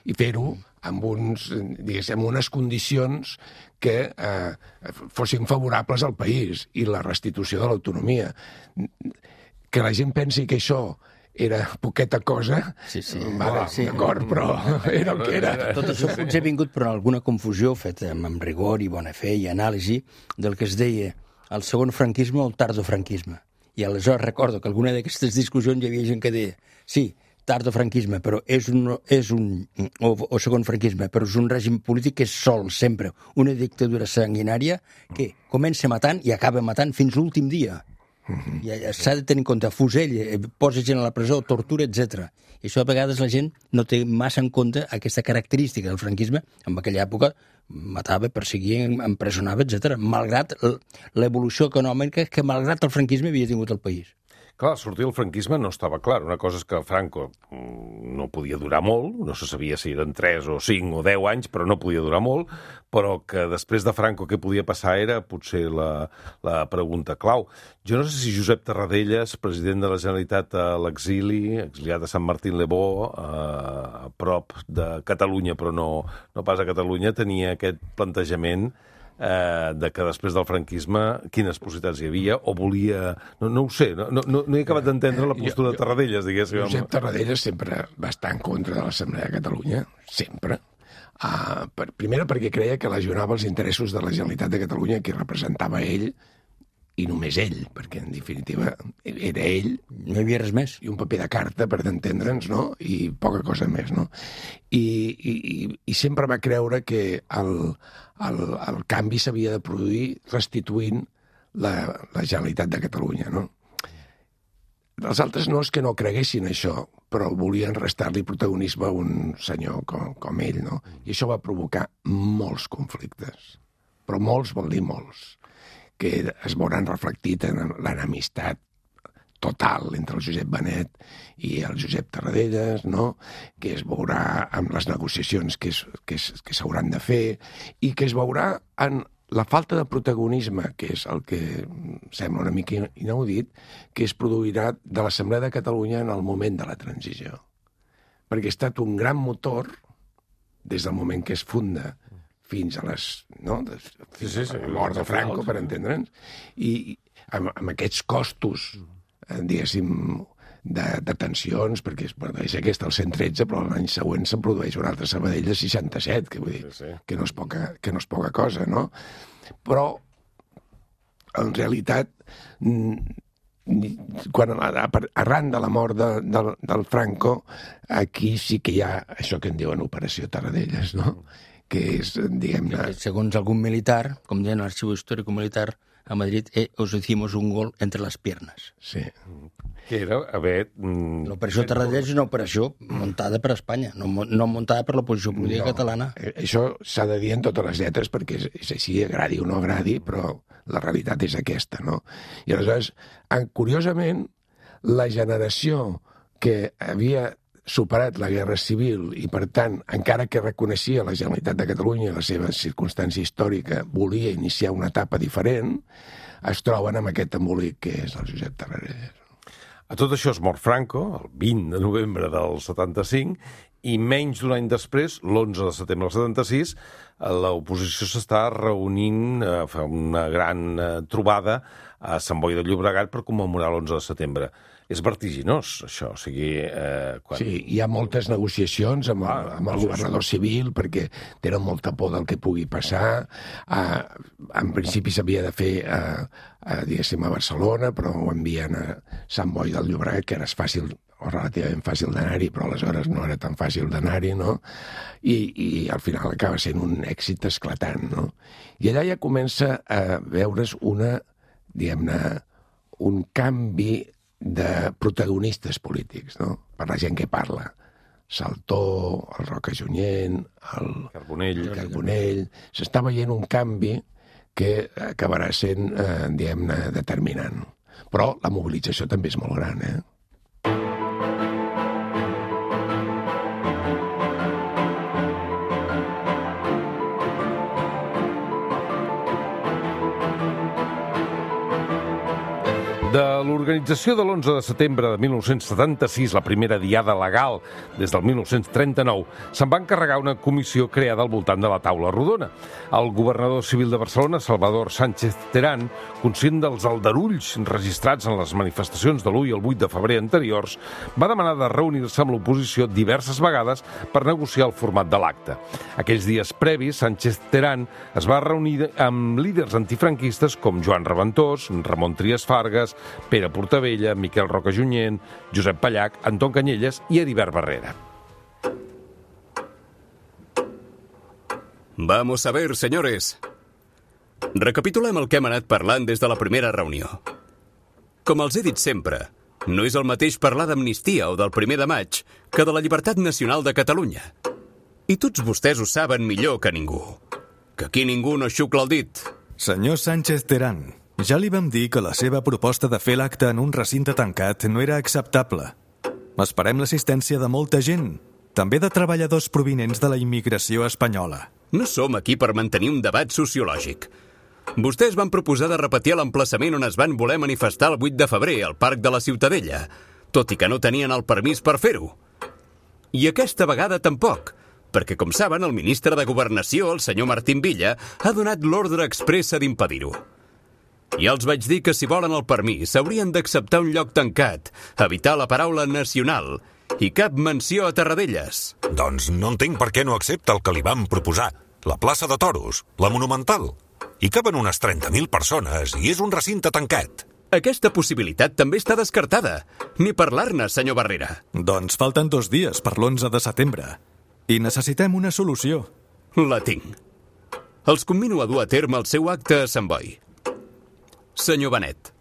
I fer-ho amb, uns, amb unes condicions que eh, fossin favorables al país i la restitució de l'autonomia. Que la gent pensi que això era poqueta cosa, sí, sí. Vale, sí. D'acord, però era el que era. Tot això potser ha vingut per alguna confusió feta amb rigor i bona fe i anàlisi del que es deia el segon franquisme o el tardofranquisme. I aleshores recordo que alguna d'aquestes discussions hi havia gent que deia sí, tardofranquisme, però és un, és un o, o segon franquisme, però és un règim polític que és sol, sempre, una dictadura sanguinària que comença matant i acaba matant fins l'últim dia. Mm-hmm. I s'ha de tenir en compte, fusell, posa gent a la presó, tortura, etcètera. I això a vegades la gent no té massa en compte aquesta característica del franquisme. En aquella època matava, perseguia, empresonava, etcètera, malgrat l'evolució econòmica que malgrat el franquisme havia tingut el país. Clar, sortir del franquisme no estava clar. Una cosa és que Franco no podia durar molt, no se sabia si eren tres o cinc o deu anys, però no podia durar molt, però que després de Franco què podia passar era potser la, la pregunta clau. Jo no sé si Josep Tarradellas, president de la Generalitat a l'exili, exiliat a Sant Martín-le-Beau, a prop de Catalunya, però no, no pas a Catalunya, tenia aquest plantejament Eh, de que després del franquisme quines possibilitats hi havia, o volia... No, no ho sé, no, no, no he acabat d'entendre la postura de Tarradellas, diguéssim. Josep Tarradellas sempre va estar en contra de l'Assemblea de Catalunya, sempre. Uh, per, primera perquè creia que lesionava els interessos de la Generalitat de Catalunya, que representava ell, i només ell, perquè en definitiva era ell... No hi havia res més. I un paper de carta, per entendre'ns, no? I poca cosa més, no? I, i, i sempre va creure que el, el, el canvi s'havia de produir restituint la, la Generalitat de Catalunya, no? Els altres no és que no creguessin això, però volien restar-li protagonisme a un senyor com, com ell, no? I això va provocar molts conflictes. Però molts vol dir molts, que es veuran reflectit en l'enemistat total entre el Josep Benet i el Josep Tarradellas, no? Que es veurà amb les negociacions que, es, que, es, que s'hauran de fer i que es veurà en la falta de protagonisme, que és el que sembla una mica inaudit, que es produirà de l'Assemblea de Catalunya en el moment de la transició. Perquè ha estat un gran motor des del moment que es funda fins a les... No? Fins sí, sí, sí, a la mort de Franco, per entendre'ns. I amb, amb aquests costos, diguéssim, de, de tensions, perquè es produeix aquesta al cent tretze, però l'any següent se'n produeix un altre Sabadell de seixanta-set, que vull dir, sí, sí. Que, no és poca, que no és poca cosa, no? Però, en realitat, quan arran de la mort de, de, del Franco, aquí sí que hi ha això que en diuen Operació Tarradellas, no? Que és, diguem-ne... Segons algun militar, com deien l'Arxiu Històric Militar a Madrid, eh, os hicimos un gol entre les piernas. Sí. Que era haver... L'operació Tarradellas és una operació muntada per Espanya, no, no muntada per l'oposició política no, catalana. Això s'ha de dir en totes les lletres, perquè és, és així, agradi o no agradi, però la realitat és aquesta, no? I aleshores, curiosament, la generació que havia superat la Guerra Civil i, per tant, encara que reconeixia la Generalitat de Catalunya i la seva circumstància històrica, volia iniciar una etapa diferent, es troben amb aquest embolic que és el Josep Tarradellas. A tot això es mor Franco, el vint de novembre del setanta-cinc, i menys d'un any després, l'onze de setembre del setanta-sis, l'oposició s'està reunint, eh, fa una gran eh, trobada a Sant Boi de Llobregat per commemorar l'onze de setembre. És vertiginós, això. O sigui, eh, quan... Sí, hi ha moltes negociacions amb, el, amb el governador civil perquè tenen molta por del que pugui passar. Eh, en principi s'havia de fer eh, eh, diguéssim, a Barcelona, però ho envien a Sant Boi del Llobregat, que era fàcil o relativament fàcil d'anar-hi, però aleshores no era tan fàcil d'anar-hi, no? I, I al final acaba sent un èxit esclatant, no? I allà ja comença a veure's una, diguem-ne, un canvi de protagonistes polítics, no? Per la gent que parla. Saltó, el Roca Junyent, el Carbonell. El Carbonell. S'està veient un canvi que acabarà sent, eh, diguem-ne, determinant. Però la mobilització també és molt gran, eh? De l'organització de l'onze de setembre de mil nou-cents setanta-sis, la primera diada legal des del mil nou-cents trenta-nou, se'n va encarregar una comissió creada al voltant de la taula rodona. El governador civil de Barcelona, Salvador Sánchez Terán, conscient dels aldarulls registrats en les manifestacions de l'u i el vuit de febrer anteriors, va demanar de reunir-se amb l'oposició diverses vegades per negociar el format de l'acte. Aquells dies previs, Sánchez Terán es va reunir amb líders antifranquistes com Joan Reventós, Ramon Trias Fargas, Pere Portabella, Miquel Roca Junyent, Josep Pallach, Anton Canyelles i Heribert Barrera. Vamos a ver, señores. Recapitulem el que hem anat parlant des de la primera reunió. Com els he dit sempre, no és el mateix parlar d'amnistia o del primer de maig que de la llibertat nacional de Catalunya. I tots vostès ho saben millor que ningú. Que aquí ningú no xucla el dit. Senyor Sánchez Terán, ja li vam dir que la seva proposta de fer l'acte en un recinte tancat no era acceptable. Esperem l'assistència de molta gent, també de treballadors provinents de la immigració espanyola. No som aquí per mantenir un debat sociològic. Vostès van proposar de repetir l'emplaçament on es van voler manifestar el vuit de febrer, al Parc de la Ciutadella, tot i que no tenien el permís per fer-ho. I aquesta vegada tampoc, perquè, com saben, el ministre de Governació, el senyor Martín Villa, ha donat l'ordre expressa d'impedir-ho. Ja els vaig dir que si volen el permís haurien d'acceptar un lloc tancat, evitar la paraula nacional i cap menció a Tarradellas. Doncs no entenc per què no accepta el que li vam proposar. La plaça de Toros, la Monumental. Hi caben unes trenta mil persones i és un recinte tancat. Aquesta possibilitat també està descartada. Ni parlar-ne, senyor Barrera. Doncs falten dos dies per l'onze de setembre i necessitem una solució. La tinc. Els convino a dur a terme el seu acte a Sant Boi. Senyor Benet,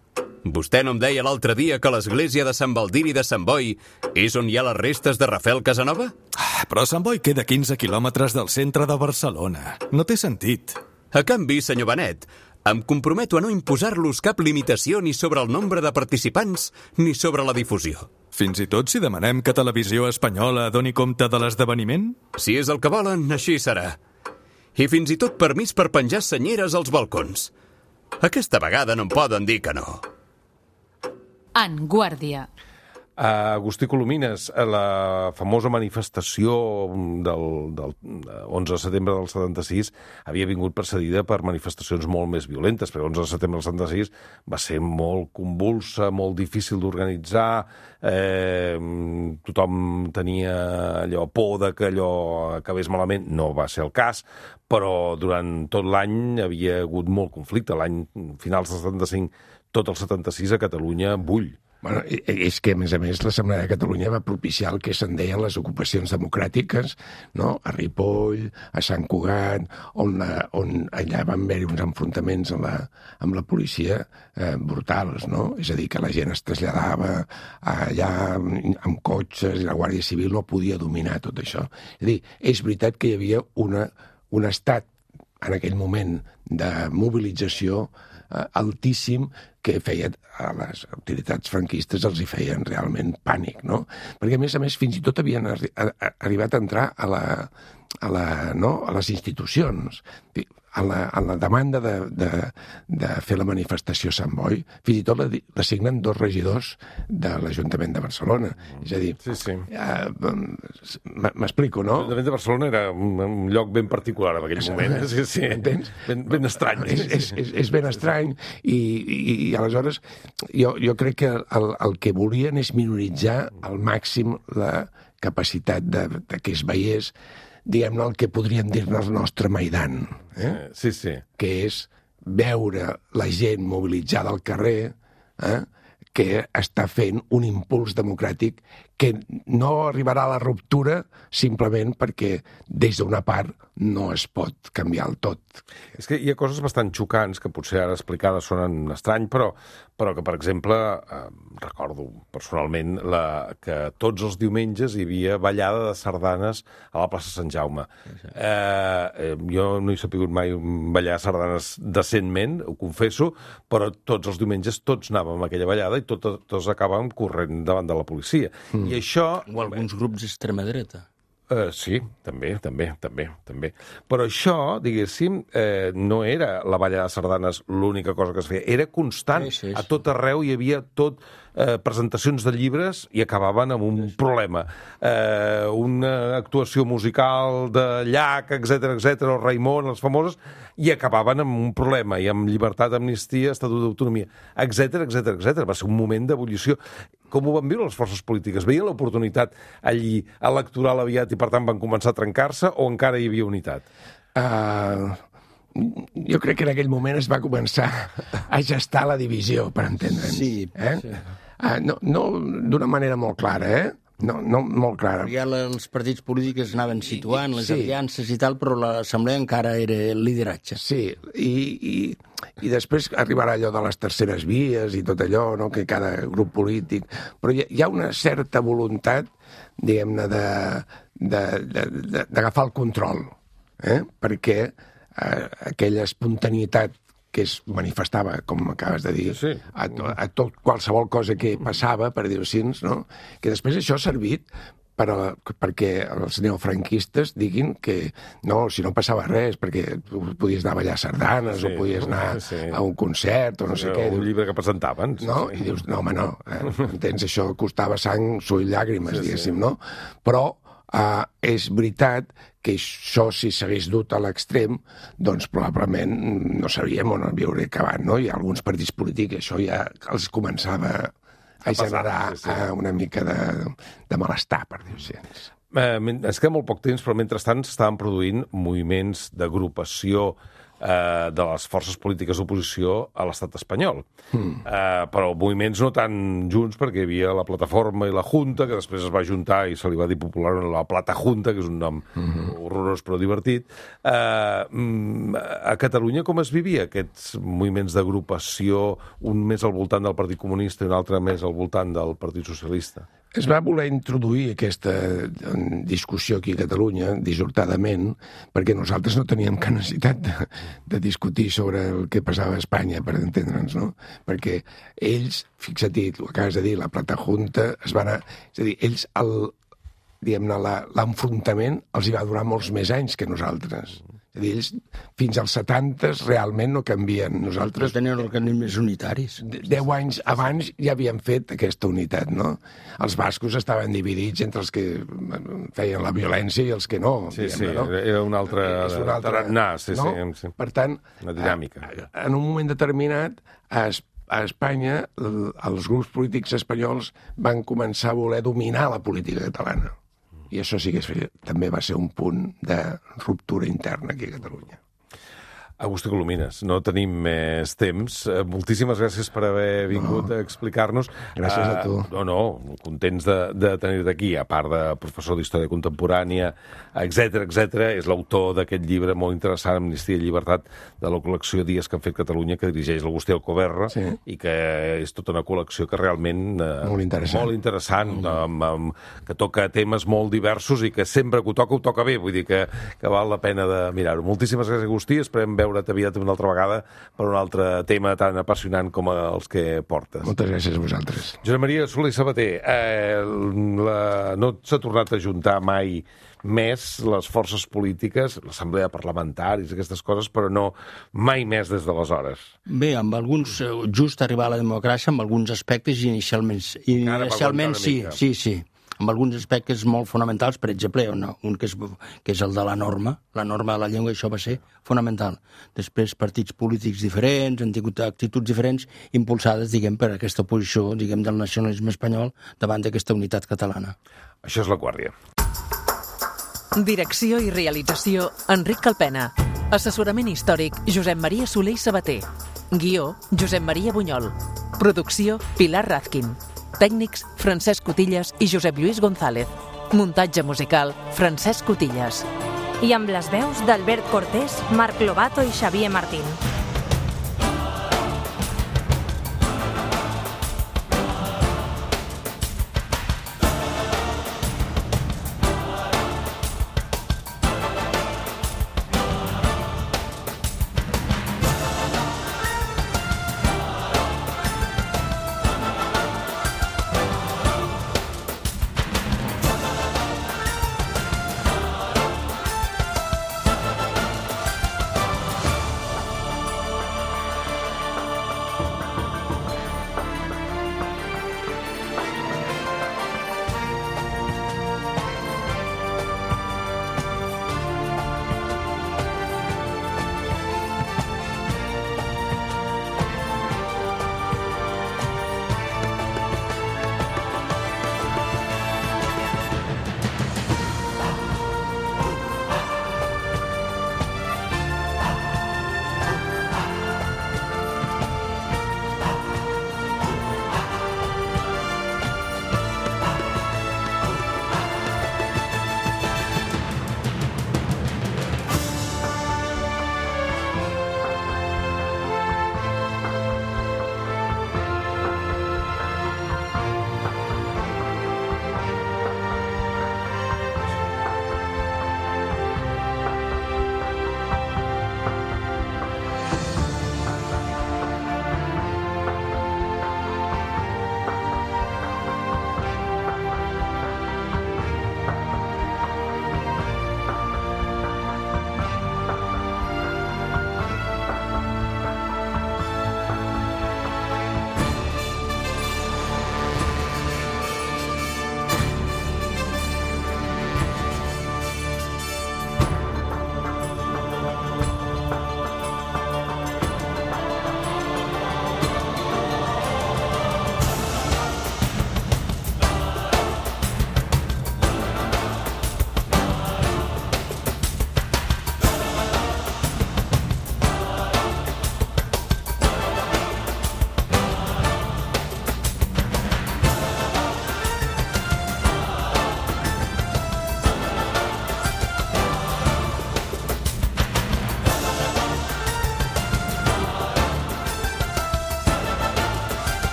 vostè no em deia l'altre dia que l'església de Sant Baldiri de Sant Boi és on hi ha les restes de Rafael Casanova? Ah, però Sant Boi queda quinze quilòmetres del centre de Barcelona. No té sentit. A canvi, senyor Benet, em comprometo a no imposar-los cap limitació ni sobre el nombre de participants ni sobre la difusió. Fins i tot si demanem que Televisió Espanyola doni compte de l'esdeveniment? Si és el que volen, així serà. I fins i tot permís per penjar senyeres als balcons. Aquesta vegada no em poden dir que no. En Guàrdia. Agustí Colomines, la famosa manifestació del, del onze de setembre del setanta-sis havia vingut precedida per manifestacions molt més violentes, perquè l'onze de setembre del setanta-sis va ser molt convulsa, molt difícil d'organitzar, eh, tothom tenia allò por de que allò acabés malament, no va ser el cas, però durant tot l'any havia hagut molt conflicte. L'any finals del setanta-cinc, tot el setanta-sis a Catalunya bull. Bueno, és que, a més a més, l'Assemblea de Catalunya va propiciar el que se'n deien les ocupacions democràtiques, no? A Ripoll, a Sant Cugat, on, la, on allà van haver-hi uns enfrontaments amb la, amb la policia eh, brutals, no? És a dir, que la gent es traslladava allà amb cotxes i la Guàrdia Civil no podia dominar tot això. És a dir, és veritat que hi havia una, un estat en aquell moment de mobilització eh, altíssim que feia a les autoritats franquistes els hi feien realment pànic, no? Perquè, a més a més, fins i tot havien arri a, a, arribat a entrar a, la, a, la, no? a les institucions. A la, a la demanda de, de, de fer la manifestació a Sant Boi, fins i tot la, la signen dos regidors de l'Ajuntament de Barcelona. És a dir, sí, sí. Uh, m'explico, no? L'Ajuntament de Barcelona era un, un lloc ben particular en aquell moment. Sí, sí. Entens? Ben, ben estrany. És, és, és, és ben estrany i, i, i aleshores jo, jo crec que el, el que volien és minoritzar al màxim la capacitat de, de que es veiés, diguem-ne, el que podríem dir-ne el nostre Maidan, eh? Sí, sí. Que és veure la gent mobilitzada al carrer, eh? Que està fent un impuls democràtic que no arribarà a la ruptura simplement perquè des d'una part no es pot canviar el tot. És que hi ha coses bastant xocants que potser ara explicades sonen estrany, però, però que, per exemple, eh, recordo personalment la, que tots els diumenges hi havia ballada de sardanes a la plaça Sant Jaume. Eh, eh, jo no he sapigut mai ballar sardanes decentment, ho confesso, però tots els diumenges tots anàvem a aquella ballada i tots, tots acabàvem corrent davant de la policia. Mm. I això... O alguns grups d'extrema dreta. Uh, sí, també, també, també, també. Però això, diguéssim, eh, no era la balla de sardanes l'única cosa que es feia. Era constant. Sí, sí, sí. A tot arreu hi havia tot eh, presentacions de llibres i acabaven amb un sí, sí. problema. Eh, una actuació musical de Llach, etcètera, etcètera, o Raimon, les famoses, i acabaven amb un problema, i amb llibertat, amnistia, estatut d'autonomia, etcètera, etcètera, etcètera. Va ser un moment d'ebullició. Com ho van viure les forces polítiques? Veien l'oportunitat allí electoral aviat i, per tant, van començar a trencar-se o encara hi havia unitat? Uh, jo crec que en aquell moment es va començar a gestar la divisió, per entendre'ns. Sí. Eh? sí. Uh, no no d'una manera molt clara, eh? No, no molt clara. Ja els partits polítics anaven situant les sí. aliances i tal, però l'Assemblea encara era el lideratge. Sí, i, i, i després arribarà allò de les terceres vies i tot allò, no? Que cada grup polític... Però hi ha, hi ha una certa voluntat, diguem-ne, d'agafar el control, eh? Perquè eh, aquella espontanietat que es manifestava, com acabes de dir, sí, sí. A, to, a tot qualsevol cosa que passava, per dir-ho així, no? Que després això ha servit per a la, perquè els neofranquistes diguin que no, si no passava res, perquè tu podies anar a ballar sardanes sí, o podies anar sí. a un concert o no sé o què. Un llibre que presentaven. No? Sí. I dius, no, home, no, eh, entens, això costava sang, sull, llàgrimes, sí, diguéssim, sí. no? Però Uh, és veritat que això, si s'hagués dut a l'extrem, doncs probablement no sabíem on havia acabat, no? Hi ha alguns partits polítics, això ja els començava a, a generar sí, sí. Uh, una mica de, de malestar, per dir-ho així. Eh, es queda molt poc temps, però mentrestant s'estaven produint moviments d'agrupació eh, de les forces polítiques d'oposició a l'estat espanyol. Mm. Eh, però moviments no tan junts, perquè hi havia la Plataforma i la Junta, que després es va juntar i se li va dir popularment la Plata Junta, que és un nom mm-hmm. horrorós però divertit. Eh, a Catalunya com es vivia aquests moviments d'agrupació, un més al voltant del Partit Comunista i un altre més al voltant del Partit Socialista? Es va voler introduir aquesta discussió aquí a Catalunya, dissortadament, perquè nosaltres no teníem cap necessitat de, de discutir sobre el que passava a Espanya, per entendre'ns, no? Perquè ells, fixa't-hi, ho acabes de dir, la Plata Junta, es van a... És a dir, ells, el, diguem-ne, l'enfrontament els hi va durar molts més anys que nosaltres. És a dir, ells fins als setanta realment no canvien. Nosaltres... No tenien organismes unitaris. Deu anys abans ja havien fet aquesta unitat, no? Els bascos estaven dividits entre els que feien la violència i els que no. Sí, diguem, sí, no? era un altre... És un altre... tarannà, sí, no? sí, sí. Per tant, una dinàmica. En un moment determinat, a a Espanya, els grups polítics espanyols van començar a voler dominar la política catalana. I això sí que també va ser un punt de ruptura interna aquí a Catalunya. Agustí Colomines, no tenim més temps. Moltíssimes gràcies per haver vingut no. a explicar-nos. Gràcies a tu. Uh, no, no, contents de, de tenir-te aquí, a part de professor d'Història Contemporània, etcètera, etcètera. És l'autor d'aquest llibre molt interessant, Amnistia i Llibertat, de la col·lecció Dies que han fet Catalunya, que dirigeix l'Agustí Alcoberra, sí. i que és tota una col·lecció que realment... Uh, molt interessant. Molt interessant, mm. amb, amb, que toca temes molt diversos i que sempre que ho toca, ho toca bé. Vull dir que, que val la pena de mirar-ho. Moltíssimes gràcies, Agustí. Esperem veure't aviat una altra vegada per un altre tema tan apassionant com els que portes. Moltes gràcies a vosaltres. Josep Maria Soler i Sabater, eh, la... no s'ha tornat a juntar mai més les forces polítiques, l'assemblea parlamentaris, aquestes coses, però no mai més des d'aleshores. Bé, amb alguns, just arribar a la democràcia, amb alguns aspectes inicialment, inicialment sí, sí, sí. Amb alguns aspectes molt fonamentals, per exemple, un, un que, és, que és el de la norma, la norma de la llengua, això va ser fonamental. Després, partits polítics diferents, han tingut actituds diferents, impulsades, diguem, per aquesta posició, diguem, del nacionalisme espanyol davant d'aquesta unitat catalana. Això és La Guàrdia. Direcció i realització, Enric Calpena. Assessorament històric, Josep Maria Soler i Sabater. Guió, Josep Maria Bunyol. Producció, Pilar Razkin. Tècnics, Francesc Cotillas i Josep Lluís González. Muntatge musical, Francesc Cotillas. I amb les veus d'Albert Cortés, Marc Lobato i Xavier Martín.